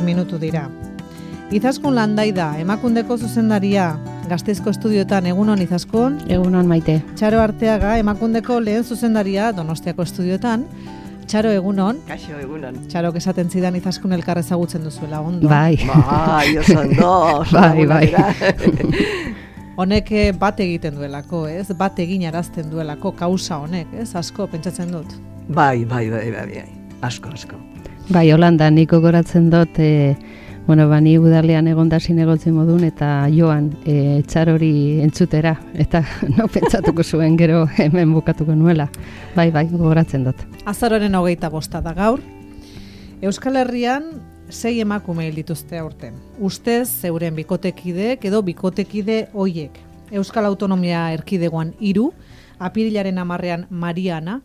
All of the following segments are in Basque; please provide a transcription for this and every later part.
minutu dira. Izaskun Landaida, Emakundeko zuzendaria, Gasteizko estudioetan, egunon Izaskun. Egunon Maite. Txaro Arteaga, Emakundeko lehen zuzendaria, Donostiako estudioetan. Txaro, egunon. Kaixo, egunon. Txaro, esaten zidan Izaskun elkar ezagutzen duzuela, ondo. Bai. Oso ondo. Bai. Honek bat egiten duelako, ez? Bat egin arazten duelako, kausa honek, ez? Asko, pentsatzen dut. Bai. Asko. Bai, Holanda, niko goratzen dut, ni udalean egondasin egotzen modun, eta joan Txarori entzutera, eta no pentsatuko zuen gero hemen bukatuko nuela. Bai, gogoratzen dut. Azaroren 25 da gaur. Euskal Herrian 6 emakume hil dituzte aurten. Ustez, zeuren bikotekideek edo bikotekide hoiek. Euskal Autonomia Erkidegoan 3, apirilaren 10ean Mariana,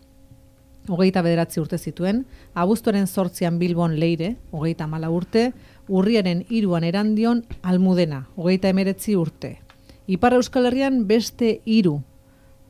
29 urte zituen, abuztuaren 8an Bilbon Leire, 34 urte, urriaren 3an Erandion Almudena, 39 urte. Ipar Euskal Herrian beste 3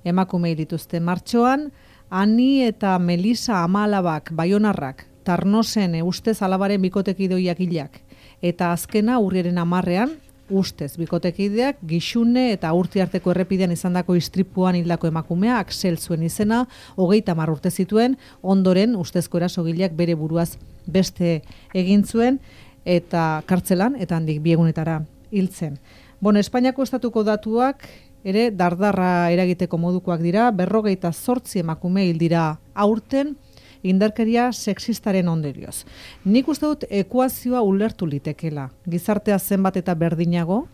emakume hil dituzte. Martxoan, Ani eta Melisa Amalabak, Baionarrak, Tarnosen ustez alabaren bikotekideoiak hilak. Eta azkena urriaren 10ean, ustez bikotekideak Gixune eta Urtiarteko errepidean izandako istripuan hildako emakumea, Axel zuen izena, 30 urte zituen, ondoren ustezko erasogileak bere buruaz beste egin zuen, eta kartzelan, eta handik 2 egunetara hiltzen. Espainiako estatuko datuak ere dardarra eragiteko modukoak dira, 58 emakume hil dira aurten, indarkeria sexistaren ondorioz. Nik uste dut ekuazioa ulertu litekela. Gizartea zenbat eta berdinago,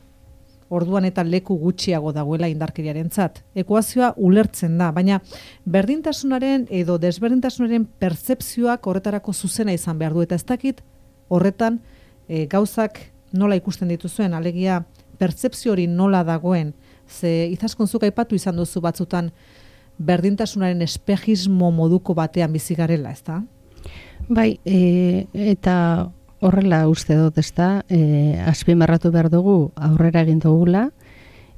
orduan eta leku gutxiago dagoela indarkeriarentzat. Ekuazioa ulertzen da, baina berdintasunaren edo desberdintasunaren pertzepzioak horretarako zuzena izan behar du, eta ez dakit horretan gauzak nola ikusten dituzuen, alegia pertzepzio hori nola dagoen, ze Izaskunzuk aipatu izan duzu batzutan berdintasunaren espejismo moduko batean bizi garela, ezta? Bai, eta horrela uste dut, ezta, azpimarratu behar dugu aurrera egin dugula,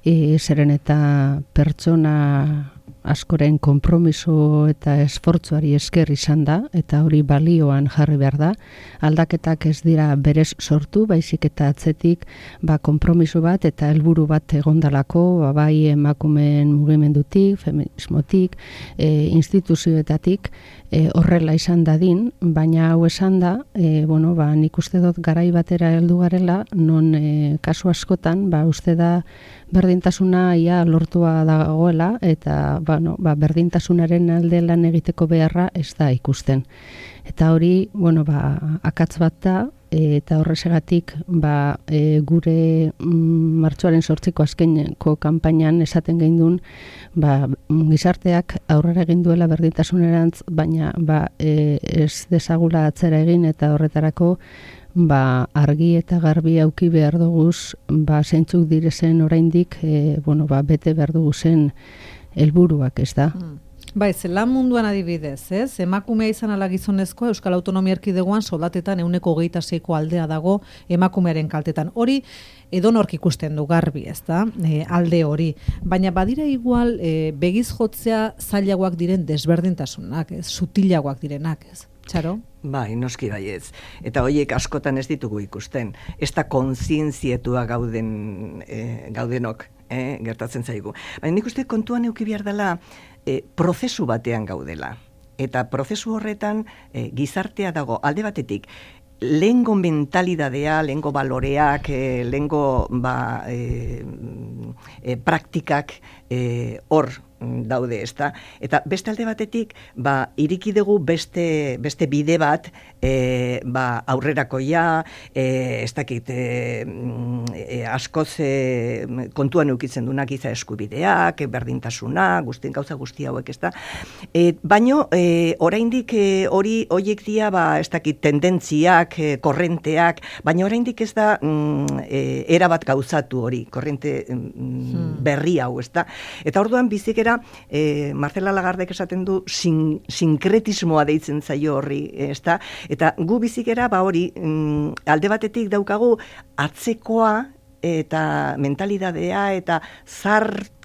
zeren eta pertsona askoren konpromiso eta esfortzuari esker izan da, eta hori balioan jarri behar da. Aldaketak ez dira berez sortu, baizik eta atzetik konpromiso bat eta helburu bat egondalako, bai emakumeen mugimendutik, feminismotik, instituzioetatik, horrela izan dadin, baina hau esan da, nik uste dut garai batera heldu garela, non kasu askotan, uste da berdintasuna ia lortua dagoela, eta berdintasunaren alde lan egiteko beharra ez da ikusten. Eta hori, akatz bat da, eta horrezegatik gure martxoaren 8ko azkeneko kanpainan esaten geindun, gizarteak aurrera egin duela berdintasunerantz, baina ez dezagula atzera egin, eta horretarako argi eta garbi auki behar duguz, zeintzuk direzen oraindik, bete behar duguzen helburuak, ez da? Bai, lan munduan adibidez, ez? Emakumea izan ala gizonezkoa, Euskal Autonomia Erkidegoan soldatetan 26ko aldea dago emakumearen kaltetan. Hori edonork ikusten du garbi, ez da? Alde hori. Baina badira igual begiz jotzea zailagoak diren desberdintasunak, ez? Sutilagoak direnak, ez? Txaro? Bai, noski baietz. Eta horiek askotan ez ditugu ikusten. Ez da kontzientzietua gaudenok, gertatzen zaigu. Baina nik uste kontuan euki behar dela prozesu batean gaudela. Eta prozesu horretan gizartea dago alde batetik, lehengo mentalidadea, lehengo baloreak, lehengo praktikak hor daude, ezta? Eta beste alde batetik, iriki dugu beste bide bat, aurrerakoia, ez dakit, askoz kontuan eukitzen dunak giza eskubideak, berdintasuna, gauza guzti hauek, ezta? Baino, oraindik horiek dira, ez dakit, tendentziak, korrenteak, baina oraindik ez da erabat gauzatu hori, korrente berri hau, ezta? Eta orduan bizik Marcela Lagardek esaten du sinkretismoa deitzen zaio horri, ezta? Eta gu bizikera hori alde batetik daukagu atzekoa eta mentalidadea eta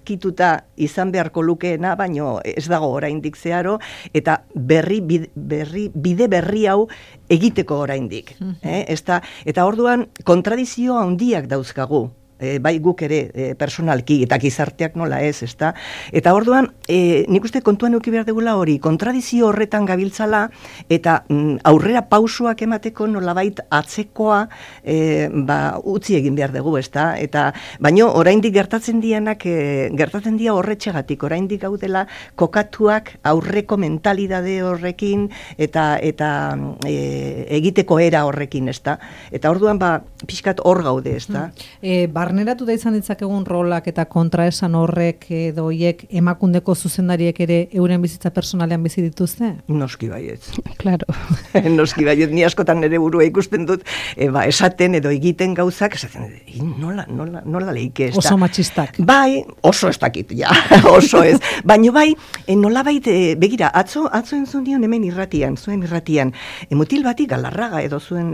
erabakituta izan beharko lukeena, baino ez dago oraindik zeharo, eta bide berri hau egiteko oraindik. Eta orduan kontradizio handiak dauzkagu. Bai guk ere personalki eta gizarteak nola ez, ezta? Eta orduan, nik uste kontuan eduki behar dugula hori, kontradizio horretan gabiltzala, eta aurrera pausoak emateko nolabait atzekoa utzi egin behar dugu, ezta? Eta baino oraindik gertatzen dira horretxegatik, oraindik gaudela kokatuak aurreko mentalidade horrekin eta egiteko era horrekin, ezta? Eta orduan pixkat hor gaude, ezta? Barneratu da izan ditzakegun rolak eta kontraesan horrek edo hiek emakundeko zuzendariek ere euren bizitza personalean bizi dituzte? Noski baiet. Claro. Noski baiet, ni askotan nere burua ikusten dut, esaten edo egiten gauzak, esaten, nola leike ez da. Oso matxistak. Bai, oso ez dakit, ja, oso ez. Baina bai, nolabait, begira, atzo entzun dion hemen zuen irratian, mutil bati Galarraga edo zuen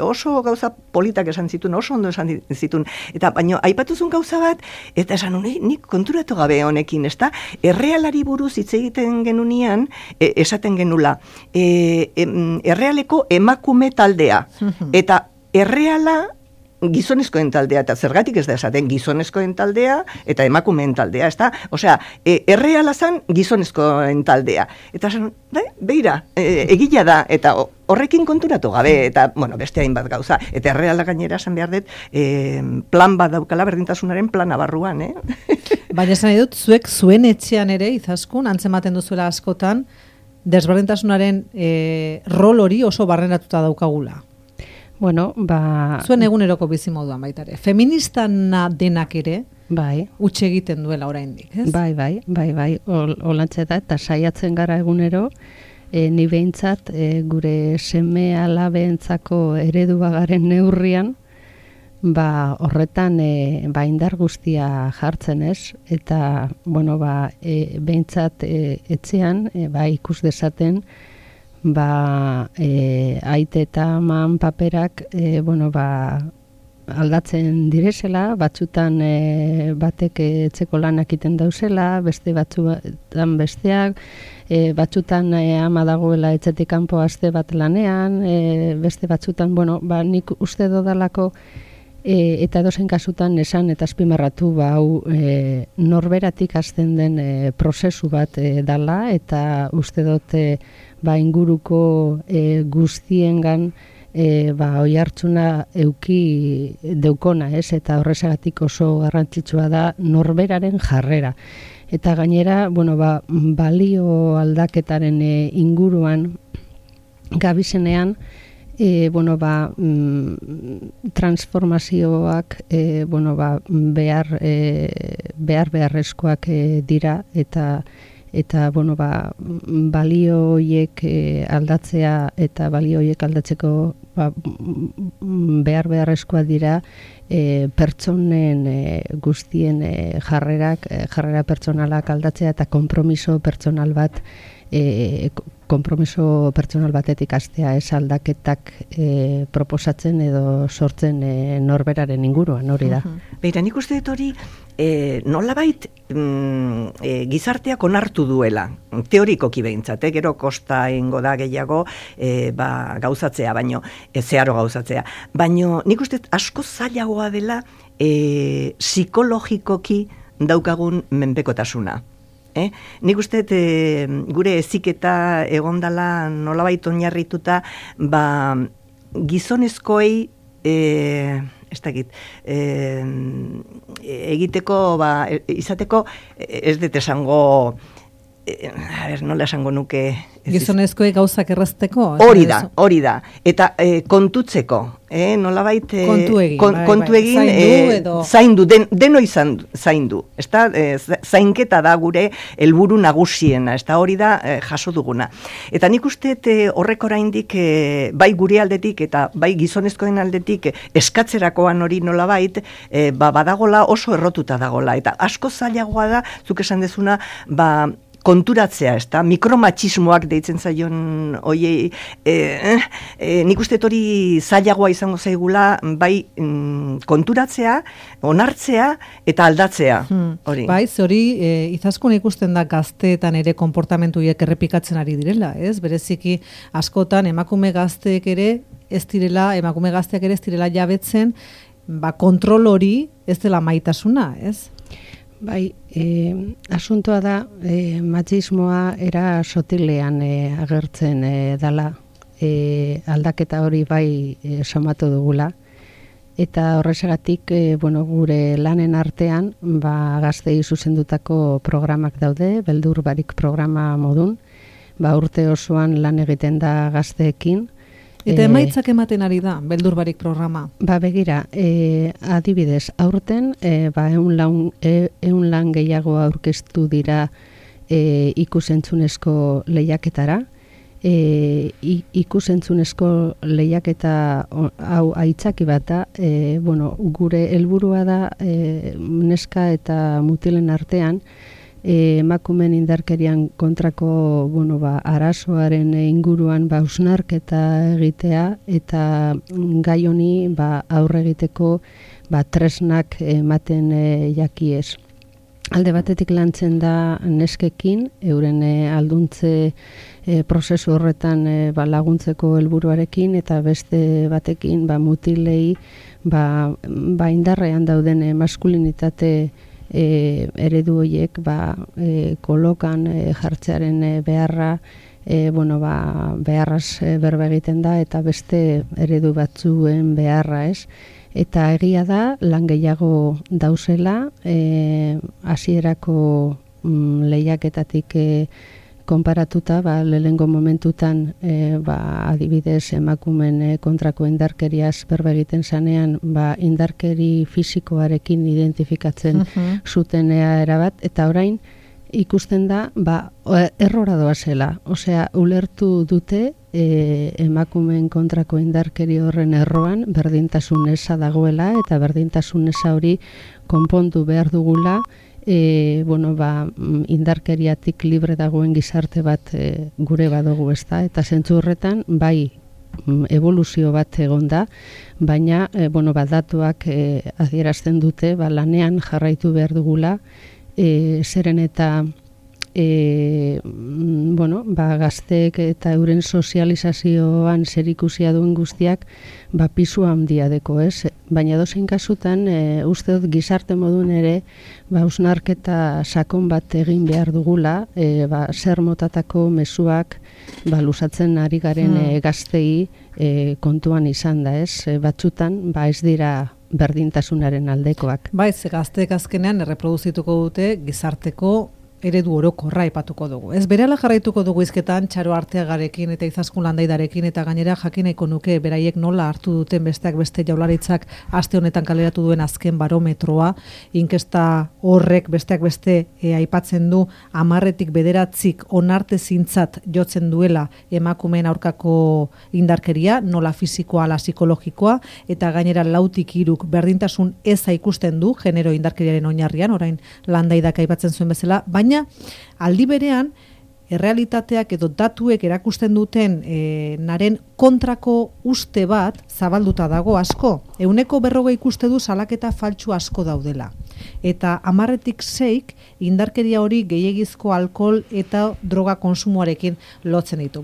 oso gauza politak esan zituen, oso ondo esan zituen, eta baino aipatuzun gauza bat, eta esan nik konturatu gabe honekin, ezta? Errealari buruz hitz egiten genunean, esaten genula, errealeko emakume taldea, eta erreala gizonezkoen taldea, eta zergatik ez da esaten gizonezkoen taldea eta emakumeen taldea, ezta? Osea, erreala zan gizonezkoen taldea. Eta esan, beira, egila da, eta horrekin konturatu gabe, eta, beste hainbat gauza. Eta erreala gainera esan behar dut, plan bat daukala berdintasunaren plana barruan, Baina esan dut, zuek zuen etxean ere, Izaskun, antzematen duzuela askotan, desberdintasunaren rol hori oso barrenatuta daukagula. Bueno, zuen eguneroko bizimoduan baita ere. Feministana denak ere, bai, utxe egiten duela oraindik, ez? Bai, olantxe da, eta saiatzen gara egunero, ni behintzat gure seme alabeentzako eredua garen neurrian, horretan indar guztia jartzen ez, eta, behintzat etxean, ikus dezaten, aite eta aman paperak aldatzen direzela, batzutan batek etxeko lanak iten dauzela, beste batzutan besteak, batzutan ama dagoela etxetik kanpo aste bat lanean, beste batzutan, nik uste dodalako eta edozein kasutan esan eta azpimarratu hau norberatik hasten den prozesu bat dala, eta uste dut inguruko guztiengan oihartzuna euki deukona, ez? Eta horrezagatik oso garrantzitsua da norberaren jarrera. Eta gainera, balio aldaketaren inguruan gabizenean, transformazioak beharrezkoak dira, eta balio horiek aldatzea eta balio horiek aldatzeko beharrezkoa dira pertsonen guztien jarrera pertsonalak aldatzea eta konpromiso pertsonal batetik hastea, ez aldaketak proposatzen edo sortzen norberaren inguruan, hori da. Beira, nik uste dut hori nolabait gizarteak onartu duela, teorikoki behintzat, gero kosta ingo da gehiago gauzatzea, baino, zeharo gauzatzea. Baino, nik uste asko zailagoa dela psikologikoki daukagun menpekotasuna. Nik uste gure heziketa egondala nolabait oinarrituta gizonezkoei ez dakit egiteko izateko ez dut esango nola esango nuke Gizonezkoek gauzak errazteko? Hori da. Eta kontutzeko, nolabait kontu egin, zaindu, denoi zaindu. Zainketa da gure helburu nagusiena, hori da jaso duguna. Eta nik uste horrek oraindik bai gure aldetik eta bai gizonezkoen aldetik eskatzerakoan hori nolabait, badagola oso errotuta dagola. Eta asko zailagoa da, zuk esan dezuna, konturatzea, ez da, mikromatxismoak deitzen zaion oiei, nik uste hori zailagoa izango zaigula, bai konturatzea, onartzea eta aldatzea. Hori. Bai, hori izaskun ikusten da gazteetan ere konportamentuiek errepikatzen ari direla, ez? Bereziki askotan emakume gazteak ere ez direla jabetzen, kontrol hori ez dela maitasuna, ez? Bai, asuntoa da, matxismoa era sotilean agertzen dala, aldaketa hori bai somatu dugula, eta horrexegatik gure lanen artean gaztei zuzendutako programak daude, beldur barik programa modun, urte osoan lan egiten da gazteekin. Eta emaitzak ematen ari da, beldur barik programa? Begira, adibidez, aurten, 100 lan gehiago aurkeztu dira ikusentzunezko lehiaketara. Ikusentzunezko lehiaketa hau aitzaki bat da, gure helburua da neska eta mutilen artean, emakumeen indarkerian kontrako arazoaren inguruan hausnarketa egitea eta gai honi aurre egiteko tresnak ematen jakiez. Alde batetik lantzen da neskekin, euren alduntze prozesu horretan laguntzeko helburuarekin eta beste batekin mutilei indarrean dauden maskulinitate eredu horiek kolokan jartzearen beharra beharraz berba egiten da eta beste eredu batzuen beharra, ez? Eta egia da lan gehiago dauzela hasierako lehiaketatik konparatuta, lehengo momentutan adibidez emakumen kontrako indarkeriaz berba egiten zanean indarkeri fisikoarekin identifikatzen zutenea erabat, eta orain ikusten da errora doazela. Osea, ulertu dute emakumeen kontrako indarkeri horren erroan berdintasun eza dagoela eta berdintasun eza hori konpondu behar dugula indarkeriatik libre dagoen gizarte bat gure badugu, ezta? Eta zentzu horretan, evoluzio bat egon da, baina datuak adierazten dute lanean jarraitu behar dugula, zeren eta gazteek eta euren sozializazioan zerikusia duen guztiak pisu handia deko, ez? Baina dozein kasutan, uste dut gizarte modun ere, hausnarketa sakon bat egin behar dugula, zer motatako mezuak luzatzen ari garen gaztei kontuan izan da, ez? Batzutan, ez dira berdintasunaren aldekoak. Ze gazteek azkenean erreproduzituko dute gizarteko eredu orokorra aipatuko dugu. Ez berehala jarraituko dugu hizketan Txaro Arteagarekin eta Izaskun Landaidarekin, eta gainera jakineko nuke beraiek nola hartu duten besteak beste Jaurlaritzak aste honetan kaleratu duen azken barometroa, inkesta horrek besteak beste aipatzen du 10tik 9 onartezintzat jotzen duela emakumeen aurkako indarkeria, nola fisikoa ala psikologikoa, eta gainera 4tik 3 berdintasun eza ikusten du genero indarkeriaren oinarrian, orain Landaidak aipatzen zuen bezala, baina aldi berean, errealitateak edo datuek erakusten duten naren kontrako uste bat zabalduta dago asko. 140 ikuste du salaketa faltsu asko daudela. Eta 10tik 6 indarkeria hori gehiegizko alkohol eta droga konsumoarekin lotzen ditu.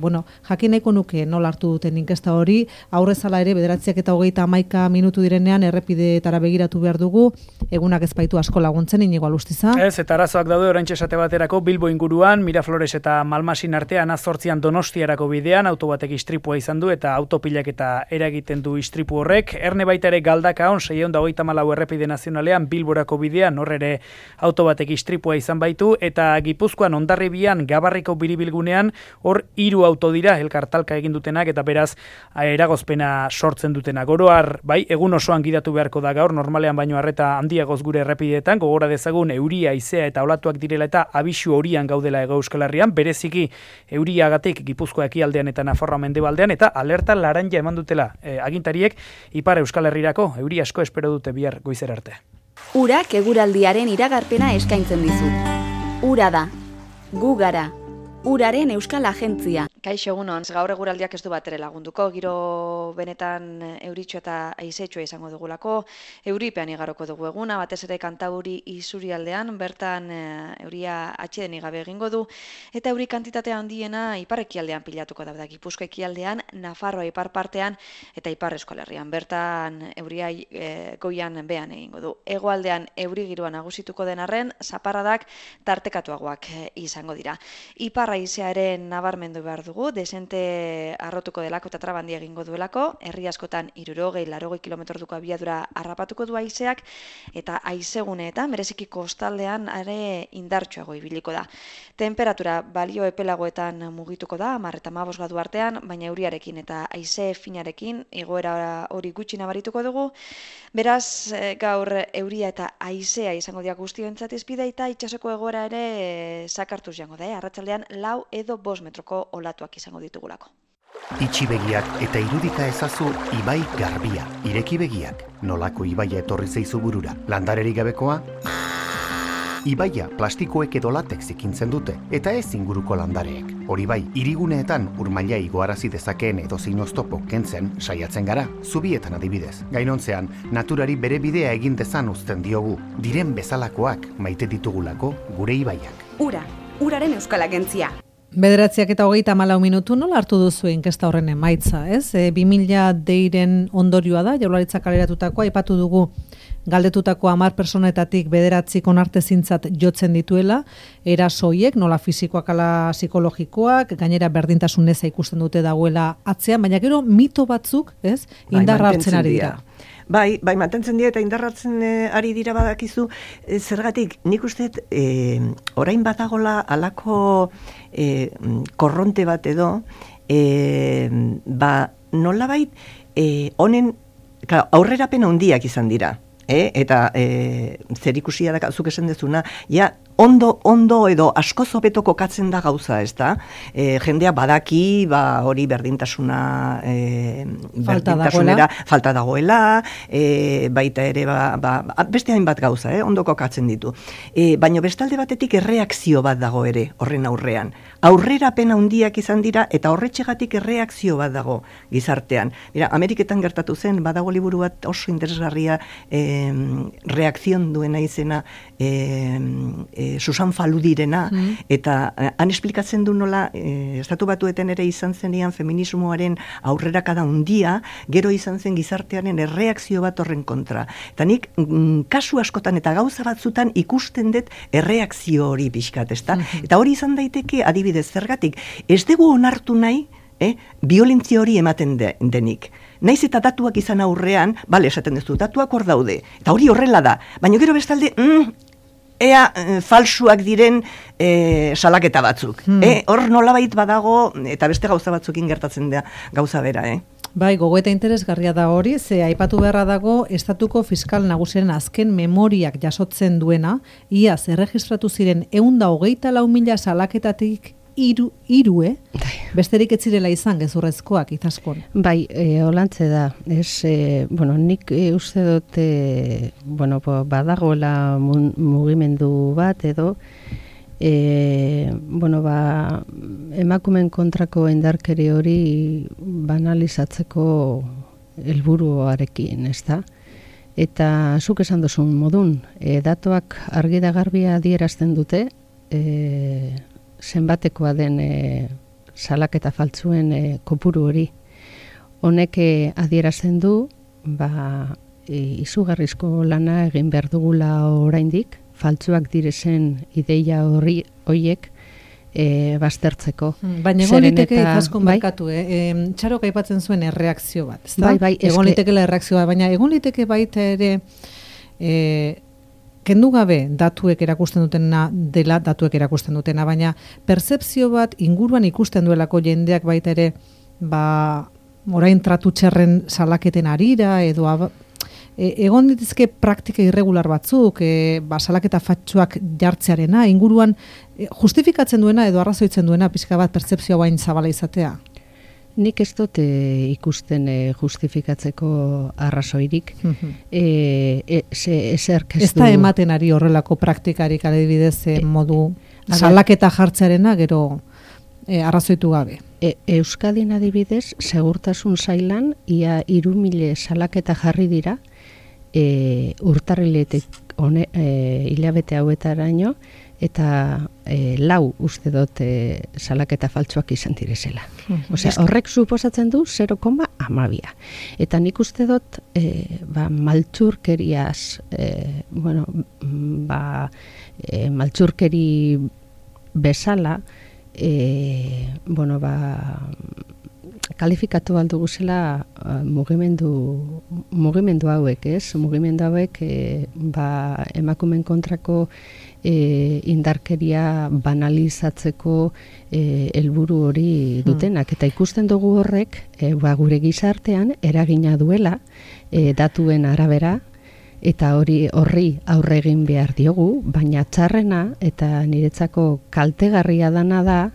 Jakineko nuke nola hartu duten inkesta hori, aurrezala ere 9:31 minutu direnean errepideetara begiratu behar dugu, egunak ez baitu asko laguntzen, Inigo Alustiza. Ez, eta arazoak daude oraintxe esate baterako Bilbo inguruan, Miraflores eta Malmasin artean 8 Donostiarako bidean auto batek istripua izan du eta autopilaketa eragiten du istripu horrek. Erne baita ere Galdakaon 634 errepide nazionalean Bilborako bidean horrere auto batek istripua izan baitu, eta Gipuzkoan Hondarribian Gabarriko biribilgunean hor 3 auto dira elkartalka egin dutenak eta beraz eragozpena sortzen dutenak. Oroar, egun osoan gidatu beharko da gaur, normalean baino arreta handiagoz gure errepideetan, gogora dezagun euria, haizea eta olatuak direla eta abisu horian gaudela Hego Euskal Herrian, bereziki euriagatik Gipuzkoa ekialdean eta Nafarroa mendebaldean, eta alerta laranja eman dutela agintariek Ipar Euskal Herrirako euri asko espero dute bihar goizera arte. Urak eguraldiaren iragarpena eskaintzen dizu. Ura da. Gu gara, uraren euskal agentzia. Kaixo egunon, gaur eguraldiak ez du batere lagunduko, giro benetan euritxo eta aizetxoa izango dugulako, euripean igaroko dugu eguna, batez ere Kantauri isurialdean, bertan euria atxeden igabe egingo du, eta euri kantitatea handiena ipar-ekialdean pilatuko da, Gipuzkoa ekialdean, Nafarroa ipar partean eta ipar Euskal Herrian, bertan euria goian behan egingo du. Hegoaldean euri giroa nagusituko den arren, zaparradak tartekatuagoak izango dira. Ipar haizearen nabarmendu behar dugu, desente arrotuko delako eta trabandia egingo duelako, herri askotan 60-80 kilometroduko abiadura harrapatuko du haizeak, eta haizeguneetan, bereziki kostaldean are indartsuago ibiliko da. Temperatura balio epelagoetan mugituko da, 10 eta 15 gradu artean, baina euriarekin eta haize finarekin igoera hori gutxi nabarituko dugu. Beraz, gaur euria eta haizea izango dira guztiontzat izpide, eta itsasoko egoera ere sakartuz jango da, arratsaldean 4 edo 5 metroko olatuak izango ditugulako. Itxi begiak eta irudika ezazu ibai garbia. Ireki begiak, nolako ibaia etorri zaizu burura. Landarerik gabekoa? Ibaia plastikoek edo latex ikintzen dute, eta ez inguruko landareek. Hori bai, hiriguneetan urmaila igoarazi dezakeen edozein oztopo kentzen saiatzen gara, zubietan adibidez. Gainontzean, naturari bere bidea egin dezan uzten diogu, diren bezalakoak maite ditugulako gure ibaiak. Ura, uraren euskal agentzia. 9:34 minutu nola hartu duzu inkesta horren emaitza, ez? 2000 deiren ondorioa da, Jaurlaritzak kaleratutakoa, aipatu dugu galdetutako 10 personetatik 9 onartezintzat jotzen dituela, erasoiek, nola fisikoak ala psikologikoak, gainera berdintasun eza ikusten dute dagoela atzean, baina gero mito batzuk, ez? Indarra hartzen ari dira. Bai, mantentzen dira eta indarratzen ari dira badakizu, zergatik nik uste orain badagola alako korronte bat edo, nolabait honen aurrerapen handiak izan dira. Eta zerikusia da zuk esan dezuna, ja ondo edo asko hobeto kokatzen da gauza, ez da? Jendea badaki, hori berdintasuna falta dagoela, baita ere beste hainbat gauza, ondo kokatzen ditu. Baina bestalde batetik erreakzio bat dago ere horren aurrean. Aurrerapen handiak izan dira eta horretxegatik erreakzio bat dago gizartean. Mira, Ameriketan gertatu zen, badago liburu bat oso interesgarria reakzion duena izena Susan Faludirena, eta han esplikatzen du nola Estatu Batuetan ere izan zenean feminismoaren aurrerakada handia, gero izan zen gizartearen erreakzio bat horren kontra. Eta nik kasu askotan eta gauza batzutan ikusten dut erreakzio hori pixkat, ezta? Eta hori izan daiteke adibidez zergatik, ez dugu onartu nahi violentzia hori ematen denik. Naiz eta datuak izan aurrean, esaten duzu, datuak hor daude, eta hori horrela da, baina gero bestalde, ea falsuak diren salaketa batzuk. Hor nolabait badago, eta beste gauza batzukin gertatzen da gauza bera, Bai, gogoeta interesgarria da hori, ze aipatu beharra dago Estatuko Fiskal Nagusiaren azken memoriak jasotzen duena, iaz erregistratu ziren 124.000 salaketatik hiru, besterik ez zirela izan gezurrezkoak itaskon. Bai, holantze da. Nik uste dut badagoela mugimendu bat edo emakumen kontrako indarkeri hori banalizatzeko helburuarekin, ezta? Eta zuk esan duzun modun, datuak argi da garbia adierazten dute, zenbatekoa den salaketa faltzuen kopuru hori. Honek adierazten du, izugarrizko lana egin behar dugula oraindik, faltzuak direzen ideia horiek baztertzeko. Baina egon liteke ikaskon barkatu, Txarok aipatzen zuen erreakzio bat, ezta? Bai, egon litekela erreakzioa, baina egon liteke baita ere kendu gabe datuek erakusten dutena, baina pertzepzio bat inguruan ikusten duelako jendeak baita ere, orain tratu txerren salaketen arira, edo egon dituzke praktika irregular batzuk, salaketa fatxuak jartzearena, inguruan justifikatzen duena edo arrazoitzen duena pixka bat pertzepzioa bain zabala izatea? Nik ez dut ikusten justifikatzeko arrazoirik. Ez da ematen ari horrelako praktikarik adibidez modu salaketa jartzearena gero arrazoitu gabe. Euskadin adibidez, segurtasun sailan ia 3.000 salaketa jarri dira urtarriletik hilabete hauetaraino, eta 4 uste dut salaketa faltsuak izan direzela. Osea, horrek suposatzen du 0,12. Eta nik uste dut maltzurkeriaz, maltzurkeri bezala, kalifikatu aldugu zela mugimendu hauek, ez? Mugimendu hauek emakumeen kontrako indarkeria banalizatzeko helburu hori dutenak. Eta ikusten dugu horrek gure gizartean eragina duela datuen arabera, eta horri aurre egin behar diogu, baina txarrena eta niretzako kaltegarria dana da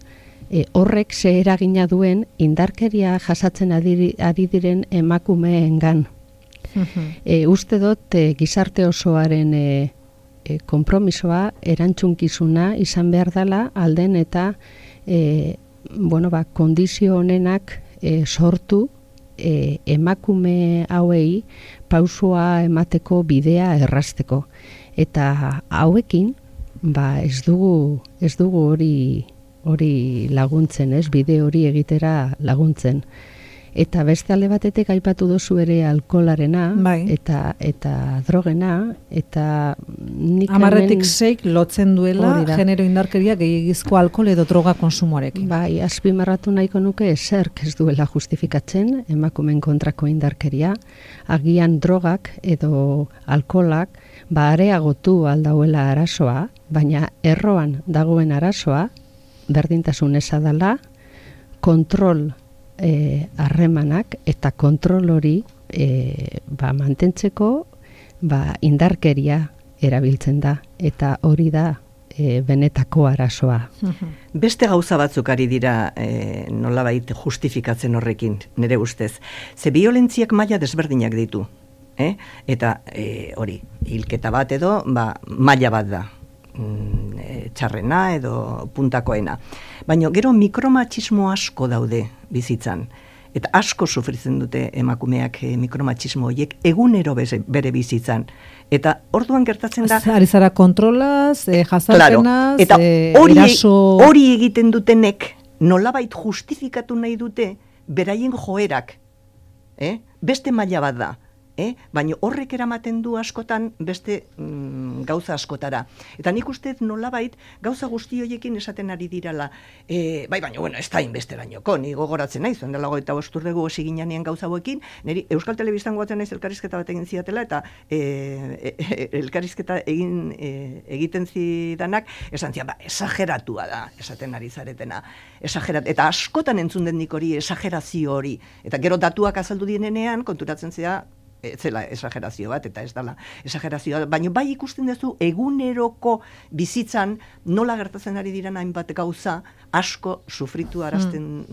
horrek ze eragina duen indarkeria jasatzen ari diren emakumeengan. Uste dut gizarte osoaren konpromisoa, erantzunkizuna izan behar dela alden eta kondizio honenak sortu emakume hauei pausua emateko bidea errazteko. Eta hauekin ez dugu hori laguntzen, ez, bide hori egitera laguntzen. Eta beste alde batetik aipatu dozu ere alkoholarena, eta drogena, eta nik 10-6 lotzen duela genero indarkeria gehiagizko alkohol edo droga konsumoarekin. Bai, azpimarratu nahiko nuke zerk ez duela justifikatzen emakumeen kontrako indarkeria, agian drogak edo alkoholak areagotu aldauela arazoa, baina erroan dagoen arazoa, berdintasun eza dela, kontrol harremanak eta kontrol hori mantentzeko indarkeria erabiltzen da, eta hori da benetako arazoa. Beste gauza batzuk ari dira nolabait justifikatzen horrekin, nire ustez. Ze biolentziak maila desberdinak ditu. Eta hori, hilketa bat edo maila bat da. Txarrena edo puntakoena. Baina gero mikromatxismo asko daude bizitzan. Eta asko sufritzen dute emakumeak mikromatxismo horiek egunero bere bizitzan. Eta orduan gertatzen da... Ari zara kontrolaz, jazarpenaz, eta hori egiten dutenek nolabait justifikatu nahi dute beraien joerak. Beste maila bat da. Baina horrek eramaten du askotan beste gauza askotara. Eta nik uste nolabait gauza guzti horiekin esaten ari dirala. Baina, ez da inbesterainoko, ni gogoratzen nahi, zuen dela 25 urte gu hasi ginean gauza hauekin, niri Euskal Telebistan goatzen naiz elkarrizketa bat egin zidatela, eta elkarrizketa egiten zidanak, esan zian, esageratua da, esaten ari zaretena. Eta askotan entzun den nik hori, esagerazio hori. Eta gero datuak azaldu dienean, konturatzen zera, zela esagerazio bat, eta ez dela esagerazioa, baina bai ikusten duzu eguneroko bizitzan nola gertatzen ari diren hainbat gauza asko sufritu arazten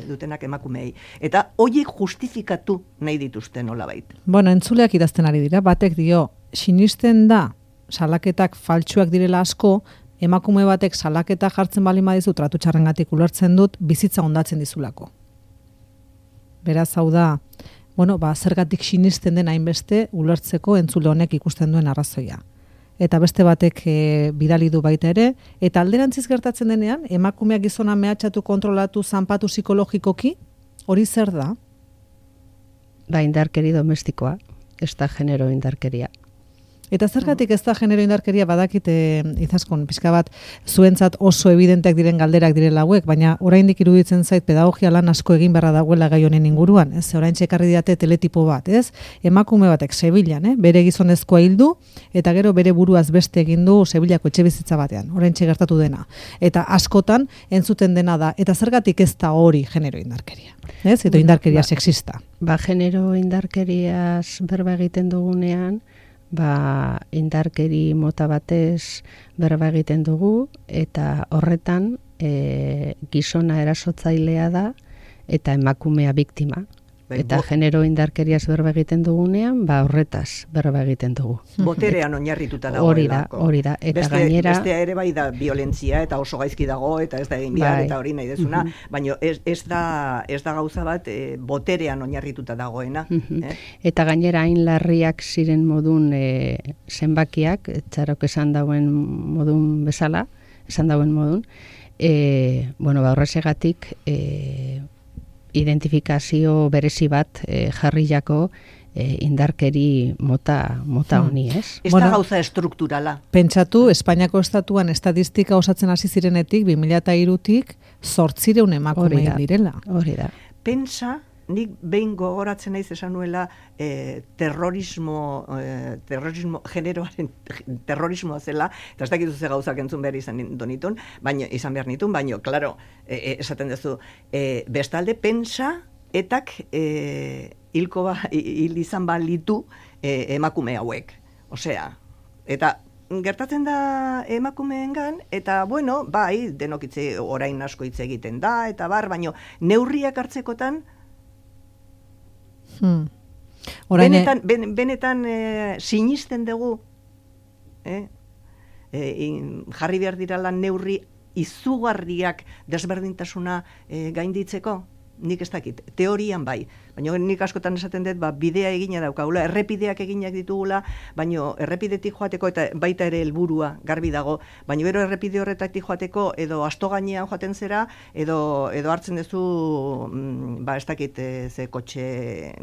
dutenak emakumeei. Eta horiek justifikatu nahi dituzte nolabait. Entzuleak idazten ari dira, batek dio, sinisten da salaketak faltsuak direla asko, emakume batek salaketa jartzen bali madizu tratu txarrengatik ulertzen dut bizitza hondatzen dizulako. Beraz, hau da, zergatik sinisten den hainbeste ulertzeko entzule honek ikusten duen arrazoia. Eta beste batek bidali du baita ere, eta alderantziz gertatzen denean, emakumeak gizona mehatxatu, kontrolatu, zanpatu psikologikoki, hori zer da? Indarkeri domestikoa, ez da genero indarkeria. Eta zergatik ez da genero indarkeria badakit izaskun, pixka bat zuentzat oso evidenteak diren galderak direla hauek, baina oraindik iruditzen zait pedagogia lan asko egin beharra dagoela gai honen inguruan, ez? Oraintxe ekarri diate teletipo bat, ez? Emakume batek Sevillan, bere gizonezkoa hildu eta gero bere buruaz beste egin du Sevillako etxebizitza batean, oraintxe gertatu dena. Eta askotan entzuten dena da, eta zergatik ez da hori genero indarkeria, ez? Eta indarkeria sexista. Genero indarkeriaz berba egiten dugunean, indarkeri mota batez berba egiten dugu, eta horretan gizona erasotzailea da eta emakumea biktima. Eta genero indarkeriaz berba egiten dugunean, horretaz berba egiten dugu. Boterean oinarrituta dagoelako. Hori da. Eta gainera... Bestea ere bai da violentzia eta oso gaizki dago eta ez da egin behar eta hori nahi dezuna, baina ez da gauza bat boterean oinarrituta dagoena. Eta gainera hain larriak ziren modun zenbakiak, txarok esan dauen modun bezala, horrezegatik identifikazio berezi bat jarriako indarkeri mota honi, ez? Ez da gauza estrukturala. Pentsatu, Espainiako estatuan estadistika osatzen hasi zirenetik, 2003-tik 800 emakume direla. Hori da. Pentsa, nik behin gogoratzen naiz esan nuela generoaren terrorismoa zela, eta ez dakitu ze gauzak entzun behar izan behar nitun, baino, klaro, esaten duzu, bestalde, pentsa, etak hil izan balitu emakume hauek. Osea, eta gertatzen da emakumeengan, eta bueno, bai, denok orain asko hitz egiten da, eta baino, neurriak hartzekotan, benetan sinisten dugu jarri behar dirala neurri izugarriak desberdintasuna gainditzeko? Nik ez dakit, teorian bai, baina nik askotan esaten dut, bidea egina daukagula, errepideak eginak ditugula, baina errepidetik joateko eta baita ere helburua garbi dago, baina bero errepide horretatik joateko edo asto gainean joaten zera, edo hartzen duzu, ez dakit, ze kotxe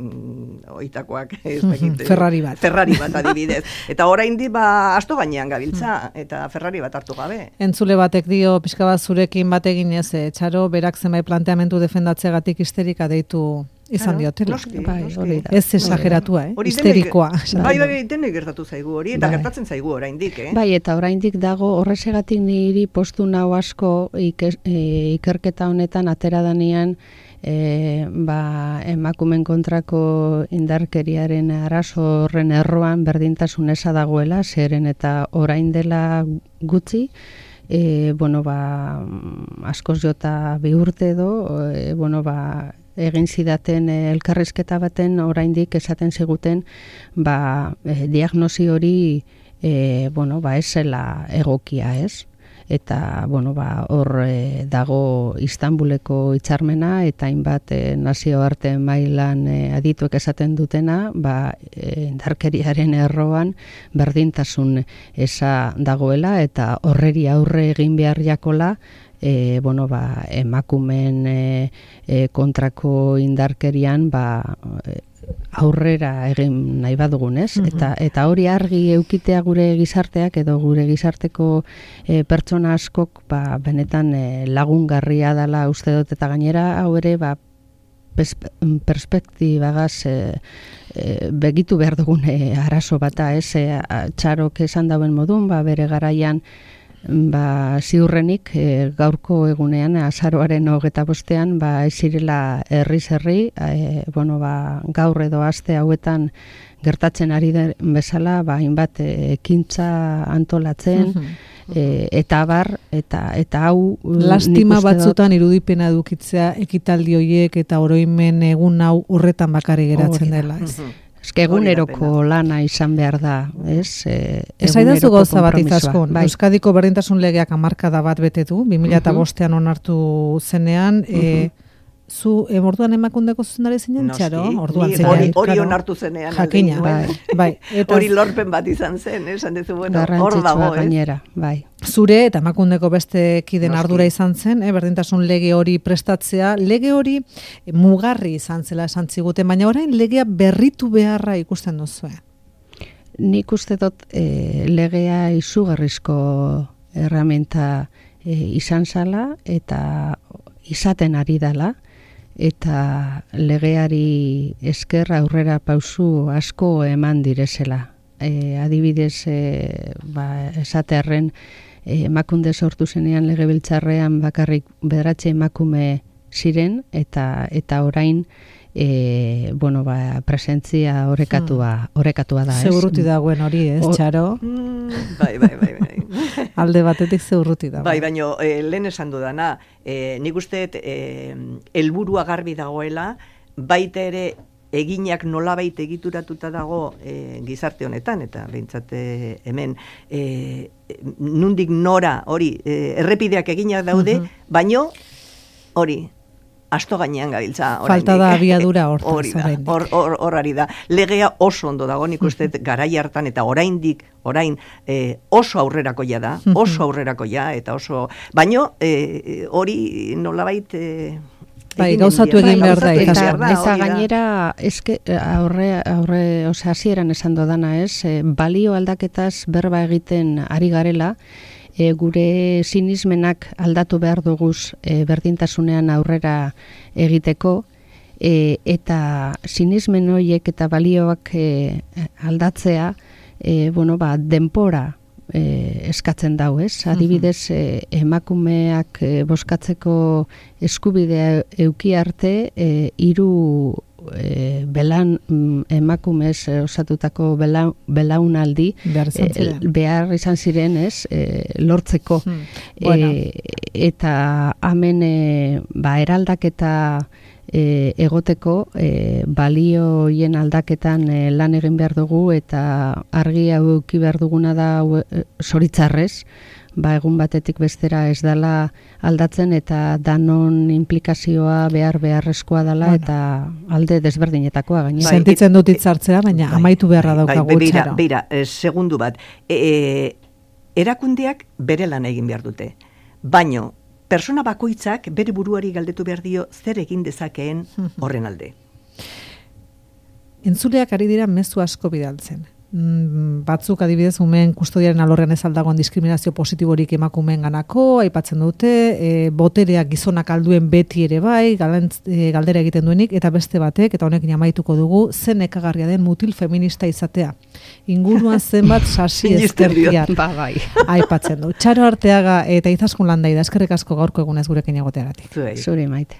oitakoak, ez dakit. Ferrari bat adibidez. Eta oraindi asto gainean gabiltza, eta Ferrari bat hartu gabe. Entzule batek dio, pixka bat zurekin bat eginez, Txaro, berak zenbait planteamendu defendatzegatik histerika deitu izan diotela. Ez exageratua, histerikoa. Bai, denek gertatu zaigu hori, eta gertatzen zaigu oraindik, Bai, eta oraindik dago, horrezegatik niri postu nau asko ikerketa honetan atera danean, emakumen kontrako indarkeriaren arazo horren erroan berdintasun eza dagoela, zeren eta orain dela gutxi, askoz jota 2 urte edo, egin zidaten elkarrizketa baten oraindik esaten ziguten diagnosi hori ez zela egokia, ez? Eta hor dago Istanbuleko hitzarmena eta hainbat nazioarte mailan adituek esaten dutena, indarkeriaren erroan berdintasun eza dagoela eta horreri aurre egin behar jakola emakumen kontrako indarkerian aurrera egin nahi badugun, ez? Eta hori argi eukitea gure gizarteak edo gure gizarteko pertsona askok benetan lagungarria dela uste dut, eta gainera hau ere perspektibagaz begitu behar dugun arazo bata, ez? Txarok esan dauen modun, bere garaian ziurrenik gaurko egunean, azaroaren 25ean, ez zirela herri, gaur edo aste hauetan gertatzen ari den bezala, hainbat ekintza antolatzen, eta hau... Lastima batzutan irudipena edukitzea ekitaldi horiek eta oroimen egun hau horretan bakari geratzen dela, ez? Eguneroko lana izan behar da, ez? Esaidazu gauza bat izaskun. Euskadiko berdintasun legeak 10 bat bete du, 2005ean onartu zenean, zu orduan emakundeko zuzendari zinen, Txaro? Hori onartu zenean. Jakina, bai. Hori lorpen bat izan zen, esan dezu, hor dago, gainera, bai. Zure eta emakundeko beste kiden ardura izan zen, berdintasun lege hori prestatzea, lege hori mugarri izan zela esan ziguten, baina orain legea berritu beharra ikusten duzu. Nik uste dut legea izugarrizko erramenta izan zala eta izaten ari dela, eta legeari esker aurrera pausu asko eman direzela. Adibidez, esatearren, emakunde sortu zenean legebiltzarrean bakarrik 9 emakume ziren, eta orain presentzia orekatua da, ez? Zeurruti dagoen hori, ez, Txaro? Bai. Alde batetik zeurruti dago. Bai, baina lehen esan dudana, nik uste helburua garbi dagoela, baita ere eginak nolabait egituratuta dago gizarte honetan, eta behintzat hemen nundik nora hori errepideak eginak daude, baino hori asto gainean gabiltza. Falta da abiadura hor ari da. Legea oso ondo dago, nik uste garai hartan, eta orain oso aurrerakoia da, eta oso, baino hori nolabait bai, gauzatu egin behar da. Eta gainera, aurre, hasieran esan dodana balio aldaketaz berba egiten ari garela, gure sinismenak aldatu behar duguz berdintasunean aurrera egiteko, eta sinismen horiek eta balioak aldatzea, denpora eskatzen dau, Adibidez, emakumeak bozkatzeko eskubidea euki arte, 3 emakumez osatutako belaunaldi behar izan ziren, lortzeko. Eta hemen eraldaketa egoteko balioien aldaketan lan egin behar dugu, eta argi hau euki behar duguna da zoritzarrez, egun batetik bestera ez dela aldatzen, eta danon implikazioa beharrezkoa dela, eta alde desberdinetakoa gainera. Sentitzen dut hitzartzea, baina amaitu beharra daukagu txaro. Beira, segundu bat, erakundeak bere lan egin behar dute, baino persona bakoitzak bere buruari galdetu behar dio zer egin dezakeen horren alde. Entzuleak ari dira mezu asko bidaltzen. Batzuk adibidez umeen kustodiaren alorrean ez aldagoan diskriminazio positiborik emakumeen ganako, aipatzen dute, botereak gizonak alduen beti ere bai, galdera egiten duenik, eta beste batek, eta honekin amaituko dugu, zen ekagarria den mutil feminista izatea. Inguruan zenbat sasi ezkertiar aipatzen du. Txaro Arteaga eta Izaskun Landaida, eskerrik asko gaurko egunez gurekin egoteagatik. Zuri Maite.